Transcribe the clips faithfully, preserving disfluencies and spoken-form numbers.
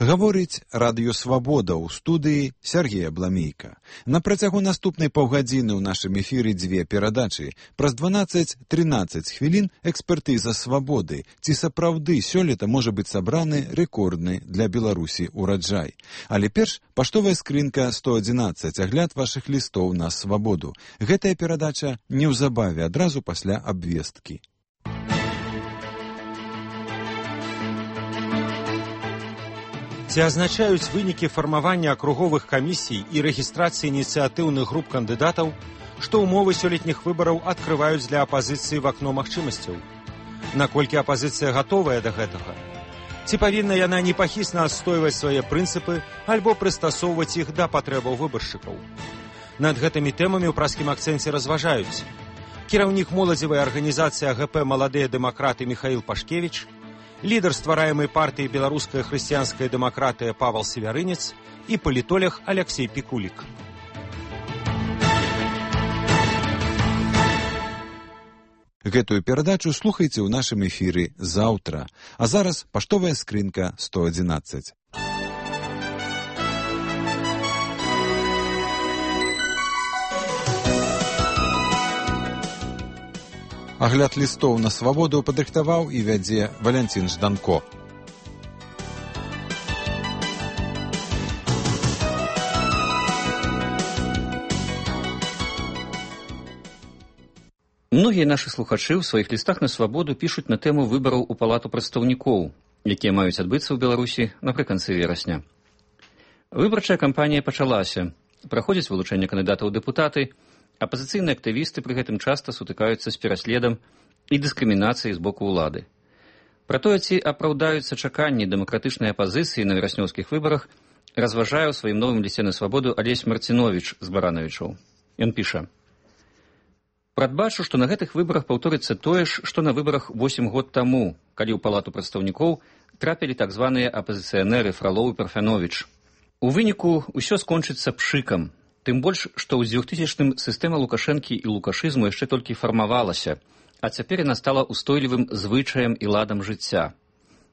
Гаворыць радыё «Свабода» ў студыі Сергея Бламейка. На працягу наступнай паўгадзіны ў нашым эфіры дзве перадачы. Праз дванаццаць-трынаццаць хвілін экспертыза «Свабоды». Ці сапраўды сёлета можа быць сабраны рэкордны для Беларусі ураджай. Але перш паштовая скрынка сто адзінаццаць, агляд вашых лістоў на «Свабоду». Гэтая перадача неўзабаве, адразу пасля абвесткі. Ці азначаюць вынікі фармавання акруговых камісій і рэгістрацыі ініцыятыўных груп кандыдатаў, што ўмовы сёлетніх выбараў адкрываюць для апазіцыі в акно магчымасцяў? Наколькі апазіцыя гатовая да гэтага? Ці павінна яна непахісна адстойваць свае прынцыпы альбо прыстасоўваць іх да патрэбаў выбаршчыкаў? Над гэтымі тэмамі ў праскім акцэнце разважаюць кіраўнік моладзевай арганізацыі АГП «Маладыя дэмакраты» Міхаіл Пашкевіч, лідар ствараемай партыі «Беларуская хрысціянская дэмакратыя» Павал Севярынец і палітолог Аляксей Пікулік. Гэтую перадачу слухайце ў нашым эфіры заўтра. А зараз паштовая скрынка сто адзінаццаць. Агляд лістоў на «Свабоду» падрыхтаваў і вядзе Валянцін Жданко. Многія нашы слухачы ў сваіх лістах на «Свабоду» пішуць на тэму выбараў у палату прадстаўнікоў, якія маюць адбыцца ў Беларусі напрыканцы верасня. Выбарчая кампанія пачалася. Праходзіць вылучэнне кандыдатаў у дэпутаты. Апазіцыйныя актывісты пры гэтым часта сутыкаюцца з пераследам і дыскрымінацыяй з боку ўлады. Пра тое, ці апраўдаюцца чаканні дэмакратычнай апазіцыі на вераснёўскіх выбарах, разважае ў сваім новым лісце на «Свабоду» Алесь Марціновіч з Баранавічаў. Ён піша: «Прадбачу, што на гэтых выбарах паўторыцца тое ж, што на выбарах восем год таму, калі ў палату прадстаўнікоў трапілі так званыя апазіцыянеры Фралоў і Парфяновіч. У выніку ўсё скончыцца пшыкам. Тым больш, што ў дзвюхтысячным сістэма Лукашэнкі і лукашызму яшчэ толькі фармавалася, а цяпер яна стала устойлівым звычаем і ладам жыцця.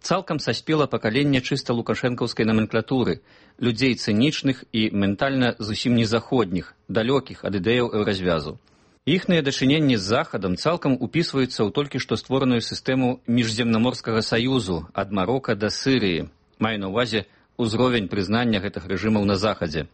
Цалкам саспела пакаленне чыста лукашэнкаўскай номенклатуры, людзей цынічных і ментальна зусім незаходніх, далёкіх ад ідэяў еўразвязу. Іхныя дачыненні з Захадам цалкам упісваюцца ў толькі што створаную сістэму міжземнаморскага саюзу ад Марока да Сырыі, маю на ўвазе ўзровень прызнання гэтых рэжымаў на Захадзе.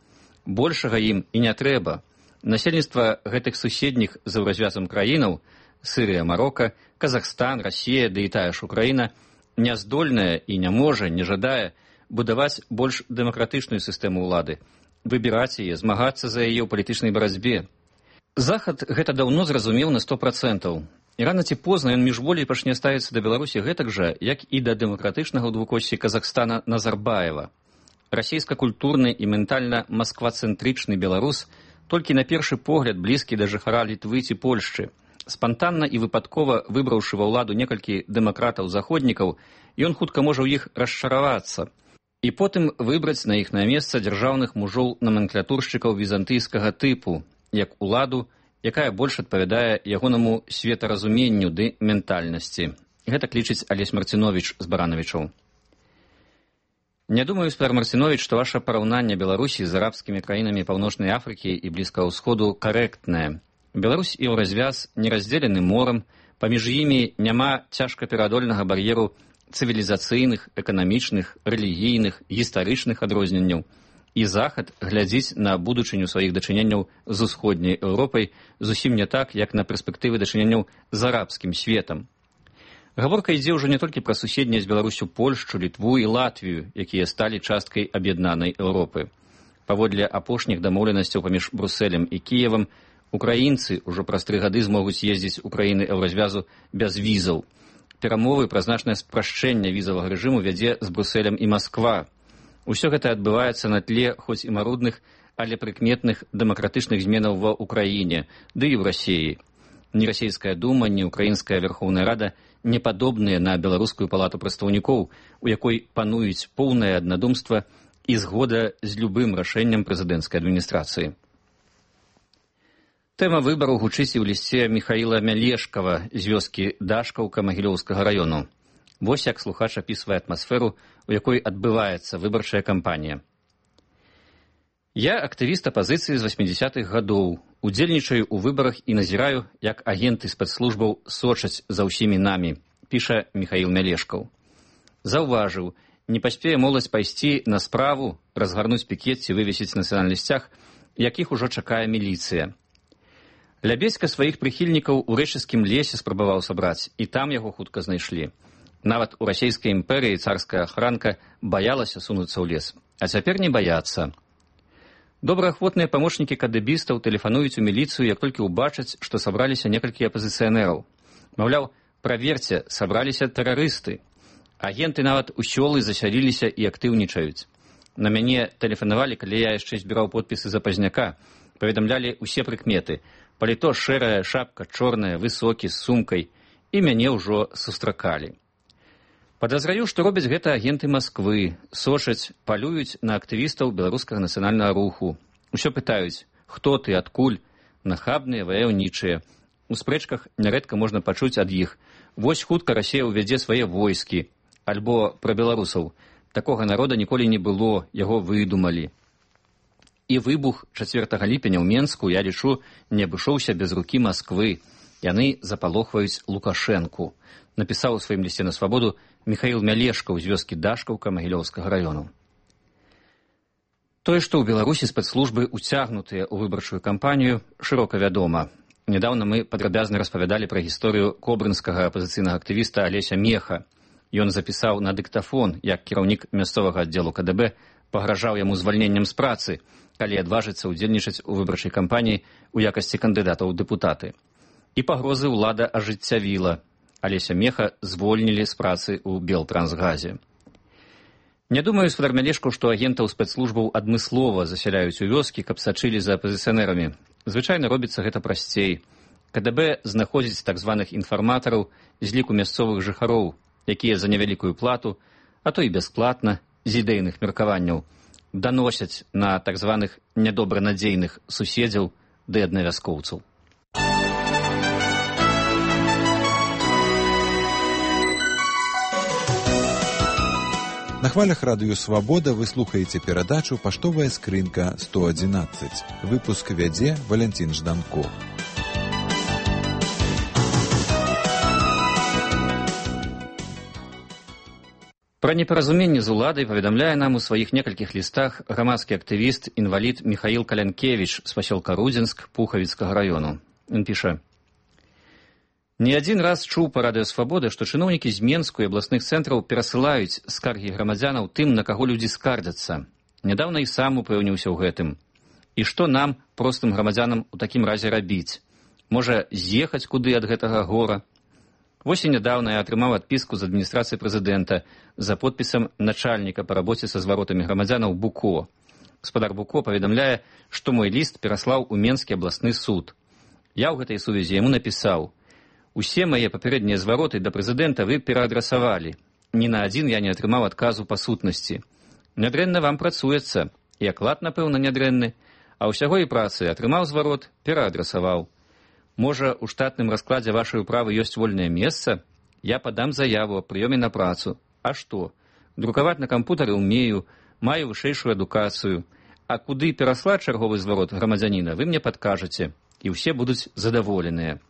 Большага ім і не трэба. Насельніцтва гэтых суседніх з еўразвязам краінаў – Сырыя, Марока, Казахстан, Расія, ды і тая ж Украіна – няздольная і не можа, не жадае будаваць больш дэмакратычную сістэму ўлады, выбіраць яе, змагацца за яе ў палітычнай барацьбе. Захад гэта даўно зразумеў на сто працэнтаў. І рана ці позна ён міжволей пачне ставіцца да Беларусі гэтак жа, як і да дэмакратычнага ў двукоссі Казахстана Назарбаева. Расійска-культурны і ментальна масквацэнтрычны беларус, толькі на першы погляд блізкі да жыхара Літвы ці Польшчы. Спантанна і выпадкова выбраўшы ва ўладу некалькі дэмакратаў-заходнікаў, ён хутка можа ў іх расчаравацца. І потым выбраць на іхнае месца дзяржаўных мужоў-наменклатуршчыкаў візантыйскага тыпу, як уладу, якая больш адпавядае ягонаму светаразуменню ды ментальнасці. Гэта лічыць Алесь Марціновіч з Баранавічаў. Не думаю, Спар Марціновіч, што ваша параўнанне Беларусі з арабскімі краінамі Паўночнай Афрыкі і Блізкага ўсходу карэктнае. Беларусь і еўразвяз не раздзелены морам, паміж імі няма цяжкапераадольнага бар'еру цывілізацыйных, эканамічных, рэлігійных, гістарычных адрозненняў. І Захад глядзіць на будучыню сваіх дачыненняў з усходняй Еўропай зусім не так, як на перспектывы дачыненняў з арабскім светам. Гаворка ідзе ўжо не толькі пра суседнія з Беларусю Польшчу, Літву і Латвію, якія сталі часткай аб'яднанай Еўропы. Паводле апошніх дамоўленасцяў паміж Брусэлем і Кіевам, украінцы ўжо праз тры гады змогуць ездзіць у краіны еўразвязу без візаў. Перамовы пра значнае спрашчэнне візавага рэжыму вядзе з Брусэлем і Масква. Усё гэта адбываецца на тле хоць і марудных, але прыкметных дэмакратычных зменаў ва ўкраіне, ды і ў Расіі. Ні расійская дума, ні украінская Верхоўная Рада не падобныя на беларускую палату прадстаўнікоў, у якой пануюць поўнае аднадумства і згода з любым рашэннем прэзідэнцкай адміністрацыі. Тэма выбараў гучыць і ў лісце Міхаіла Мялешкава з вёскі Дашкаўка Магілёўскага раёну. Вось як слухач апісвае атмасферу, у якой адбываецца выбарчая кампанія. Я актывіст апазіцыі з васьмідзясятых гадоў, удзельнічаю ў выбарах і назіраю, як агенты спецслужбаў сочаць за ўсімі намі, піша Міхаіл Мялешкаў. Заўважыў, не паспее моладзь пайсці на справу, разгарнуць пікет ці вывесіць нацыянальны сцяг, якіх ужо чакае міліцыя. Лябедзька сваіх прыхільнікаў у рэчыцкім лесе спрабаваў сабраць, і там яго хутка знайшлі. Нават у расійскай імперыі царская ахранка баялася сунуцца ў лес, а цяпер не баяцца. Добраахвотныя памочнікі кадэбістаў тэлефануюць у міліцыю, як толькі ўбачаць, што сабраліся некалькі апазіцыянераў. Маўляў, праверце, сабраліся тэрарысты. Агенты нават у сёлы засяліліся і актыўнічаюць. На мяне тэлефанавалі, калі я яшчэ збіраў подпісы за пазняка, паведамлялі ўсе прыкметы. Паліто шэрая, шапка чорная, высокі, з сумкай, і мяне ўжо сустракалі. Падазраю, што робяць гэта агенты Масквы, сочаць, палююць на актывістаў беларускага нацыянальнага руху. Усё пытаюць, хто ты, адкуль, нахабныя, ваяўнічыя. У спрэчках нярэдка можна пачуць ад іх. Вось хутка Расія ўвядзе свае войскі. Альбо пра беларусаў. Такога народа ніколі не было, яго выдумалі. І выбух чацвёртага ліпеня ў Менску, я лічу, не абышоўся без рукі Масквы. Яны запалохваюць Лукашэнку, напісаў у сваім лісце на свабоду Міхаіл Мялешкаў з вёскі Дашкаўка Магілёўскага раёну. Тое, што ў Беларусі спецслужбы уцягнутыя ў выбарчую кампанію, шырока вядома. Нядаўна мы падрабязна распавядалі пра гісторыю кобрынскага апазіцыйнага актывіста Алеся Меха. Ён запісаў на дыктафон, як кіраўнік мясцовага аддзелу ка дэ бэ пагражаў яму звальненнем з працы, калі адважыцца ўдзельнічаць у выбарчай кампаніі ў якасці кандыдатаў у дэпутаты. І пагрозы ўлада ажыццявіла. Алеся Меха звольнілі з працы ў Белтрансгазе. Не думаю, спадар Мялешкаў, што агентаў спецслужбаў адмыслова засяляюць у вёскі, каб сачылі за апазіцыянерамі. Звычайна робіцца гэта прасцей. ка дэ бэ знаходзіць так званых інфарматараў з ліку мясцовых жыхароў, якія за невялікую плату, а то і бясплатна, з ідэйных меркаванняў, даносяць на так званых нядобранадзейных суседзяў ды аднавяскоўцаў. На хвалях радыё «Свабода» вы слухаеце перадачу «Паштовая скрынка сто адзінаццаць». Выпуск вядзе Валянцін Жданков. Пра непаразуменне з уладай паведамляе нам у сваіх некалькіх лістах грамадскі актывіст, інвалід Міхаіл Калянкевіч з пасёлка Рудзенск Пухавіцкага раёну. Ён піша: «Не адзін раз чуў па радыё «Свабода», што чыноўнікі з Менску і абласных цэнтраў перасылаюць скаргі грамадзянаў тым, на каго людзі скардзяцца. Нядаўна і сам упэўніўся ў гэтым. І што нам, простым грамадзянам, у такім разе рабіць? Можа, з'ехаць куды ад гэтага гора? Вось і нядаўна я атрымаў адпіску з адміністрацыі прэзідэнта за подпісам начальніка па рабоце са зваротамі грамадзянаў Буко. Гаспадар Буко паведамляе, што мой ліст пераслаў у Менскі абласны суд. Я ў гэтай сувязі яму напісаў: «Усе мае папярэднія звароты да прэзідэнта вы пераадрасавалі. Ні на адзін я не атрымаў адказу па сутнасці. Нядрэнна вам працуецца, і аклад, напэўна, нядрэнны, а ўсяго і працы атрымаў зварот, пераадрасаваў. Можа, у штатным раскладзе вашай управы ёсць вольнае месца? Я падам заяву аб прыёме на працу. А што? Друкаваць на кампутары ўмею, маю вышэйшую адукацыю. А куды пераслаць чарговы зварот грамадзяніна, вы мне падкажаце, і ўсе будуць задаволеныя».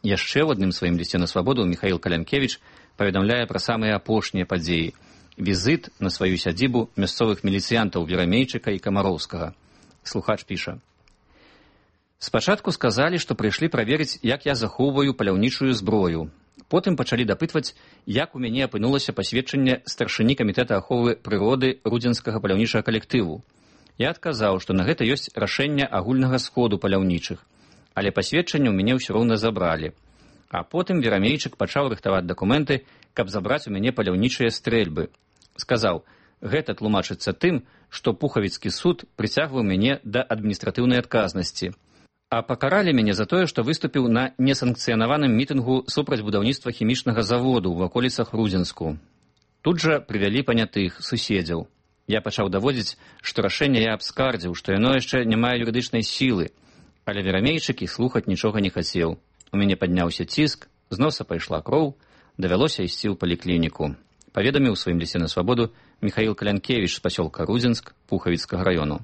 Яшчэ ў адным сваім лісце на свабоду Міхаіл Калянкевіч паведамляе пра самыя апошнія падзеі. Візіт на сваю сядзібу мясцовых міліцыянтаў Верамейчыка і Камароўскага. Слухач піша: «Спачатку сказалі, што прыйшлі праверыць, як я захоўваю паляўнічую зброю. Потым пачалі дапытваць, як у мяне апынулася пасведчанне старшыні камітэта аховы прыроды рудзенскага паляўнічага калектыву. Я адказаў, што на гэта ёсць рашэнне агульнага сходу паляўнічых, але пасведчанне ў мяне ўсё роўна забралі. А потым Верамейчык пачаў рыхтаваць дакументы, каб забраць у мяне паляўнічыя стрэльбы. Сказаў, гэта тлумачыцца тым, што Пухавіцкі суд прыцягваў мяне да адміністратыўнай адказнасці. А пакаралі мяне за тое, што выступіў на несанкцыянаваным мітынгу супраць будаўніцтва хімічнага заводу ў ваколіцах Рудзенску. Тут жа прывялі панятых суседзяў. Я пачаў даводзіць, што рашэнне я абскардзіў, што яно яшчэ не мае юрыдычнай сілы. Але верамейчык і слухаць нічога не хацеў. У мяне падняўся ціск, з носа пайшла кроў, давялося ісці ў паліклініку. Паведаміў у сваім лісце на свабоду Міхаіл Калянкевіч з пасёлка Рудзінск Пухавіцкага раёну.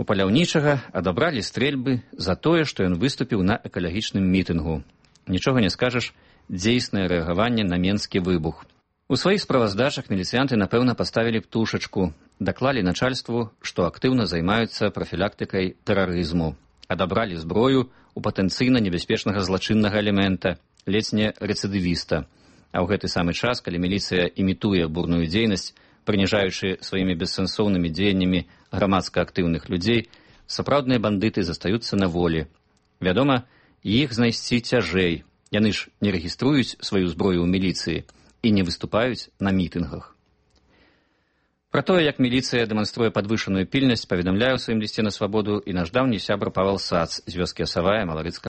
У паляўнічага адабралі стрэльбы за тое, што ён выступіў на экалагічным мітынгу. Нічога не скажаш, дзейснае рэагаванне на менскі выбух. У сваіх справаздачах міліцыянты, напэўна, паставілі птушачку, даклалі начальству, што актыўна займаюцца прафілактыкай тэрарызму, адабралі зброю у патэнцыйна небяспечнага злачыннага элемента, ледзь не рэцыдывіста. А ў гэты самы час, калі міліцыя імітуе бурную дзейнасць, прыніжаючы сваімі бессэнсоўнымі дзеяннямі грамадска актыўных людзей, сапраўдныя бандыты застаюцца на волі. Вядома, іх знайсці цяжэй. Яны ж не рэгіструюць сваю зброю ў міліцыі і не выступаюць на мітынгах. Пра тое, як міліцыя дэманструе падвышаную пільнасць, паведамляе ў сваім лісце на свабоду і наш даўні сябра Павел Сац з вёскі Асавая Маларыцкага